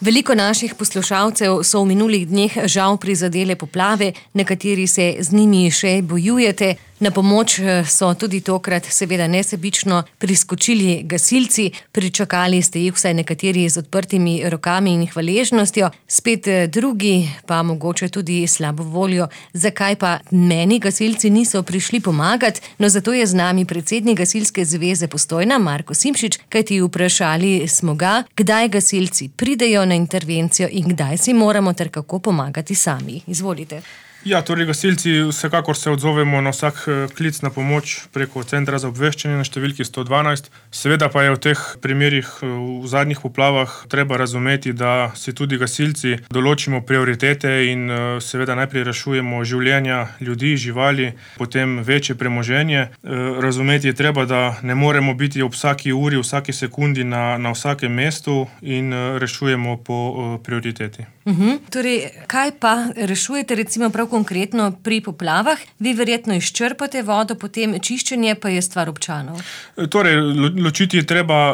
Veliko naših poslušalcev so v minulih dneh žal prizadele poplave, nekateri se z njimi še bojujete. Na pomoč so tudi tokrat seveda nesebično priskočili gasilci. Pričakali ste jih vsaj nekateri z odprtimi rokami in hvaležnostjo, spet drugi pa mogoče tudi slabo voljo. Zakaj pa meni gasilci niso prišli pomagati? No, zato je z nami predsednik Gasilske zveze Postojna, Marko Simšič, kajti vprašali smo ga, kdaj gasilci pridejo na intervencijo in kdaj si moramo ter kako pomagati sami. Izvolite. Ja, torej gasilci vsekakor se odzovemo na vsak klic na pomoč preko centra za obveščanje na številki 112. Seveda pa je v teh primerih v zadnjih poplavah treba razumeti, da si tudi gasilci določimo prioritete in seveda najprej rešujemo življenja ljudi, živali, potem večje premoženje. Razumeti je treba, da ne moremo biti ob vsaki uri, vsaki sekundi na vsakem mestu in rešujemo po prioriteti. Torej, kaj pa rešujete recimo prav konkretno pri poplavah? Vi verjetno izčrpate vodo, potem čiščenje pa je stvar občanov. Torej, ločiti je treba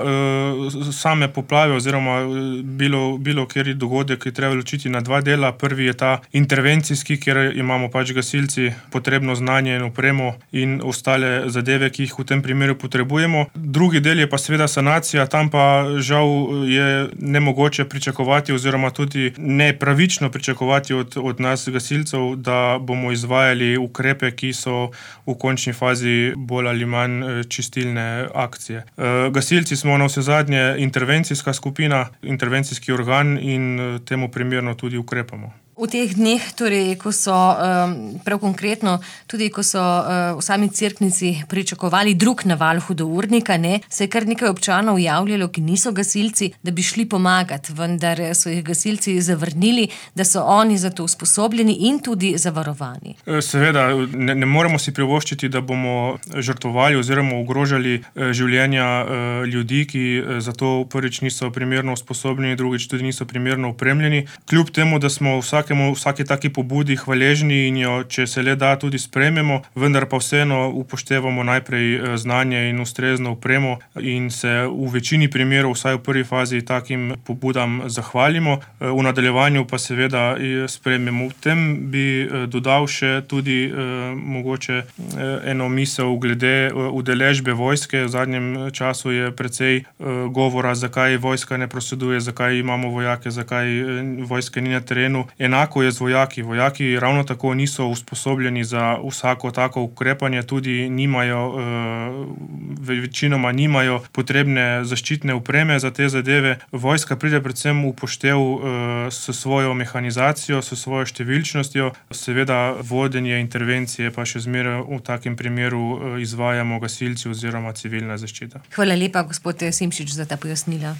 same poplave oziroma bilo kateri dogodek je treba ločiti na dva dela. Prvi je ta intervencijski, kjer imamo pač gasilci potrebno znanje in opremo in ostale zadeve, ki jih v tem primeru potrebujemo. Drugi del je pa seveda sanacija, tam pa žal je nemogoče pričakovati oziroma tudi nepravično pričakovati od nas gasilcev, da bomo izvajali ukrepe, ki so v končni fazi bolj ali manj čistilne akcije. Gasilci smo navsezadnje intervencijska skupina, intervencijski organ in temu primerno tudi ukrepamo. V teh dneh, torej, ko so prav konkretno, tudi ko so v sami Cerknici pričakovali drug naval hudournika, se je kar nekaj občanov javljalo, ki niso gasilci, da bi šli pomagati, vendar so jih gasilci zavrnili, da so oni za to usposobljeni in tudi zavarovani. Seveda, ne moremo si privoščiti, da bomo žrtvovali oziroma ogrožali življenja ljudi, ki za to prvič niso primerno usposobljeni, drugič tudi niso primerno opremljeni. Kljub temu, da smo vsaki taki pobudi hvaležni in jo, če se le da, tudi sprejmemo, vendar pa vseeno upoštevamo najprej znanje in ustrezno opremo in se v večini primerov, vsaj v prvi fazi, takim pobudam zahvalimo. V nadaljevanju pa seveda sprejmemo. V tem bi dodal še tudi mogoče eno misel glede udeležbe vojske. V zadnjem času je precej govora, zakaj vojska ne prosleduje, zakaj imamo vojake, zakaj vojske ni na terenu. Enako je z vojaki. Vojaki ravno tako niso usposobljeni za vsako tako ukrepanje, tudi večinoma nimajo potrebne zaščitne opreme za te zadeve. Vojska pride predvsem v upoštev s svojo mehanizacijo, s svojo številčnostjo. Seveda vodenje intervencije pa še zmeraj v takem primeru izvajamo gasilci oziroma civilna zaščita. Hvala lepa, gospod Simšič, za ta pojasnila.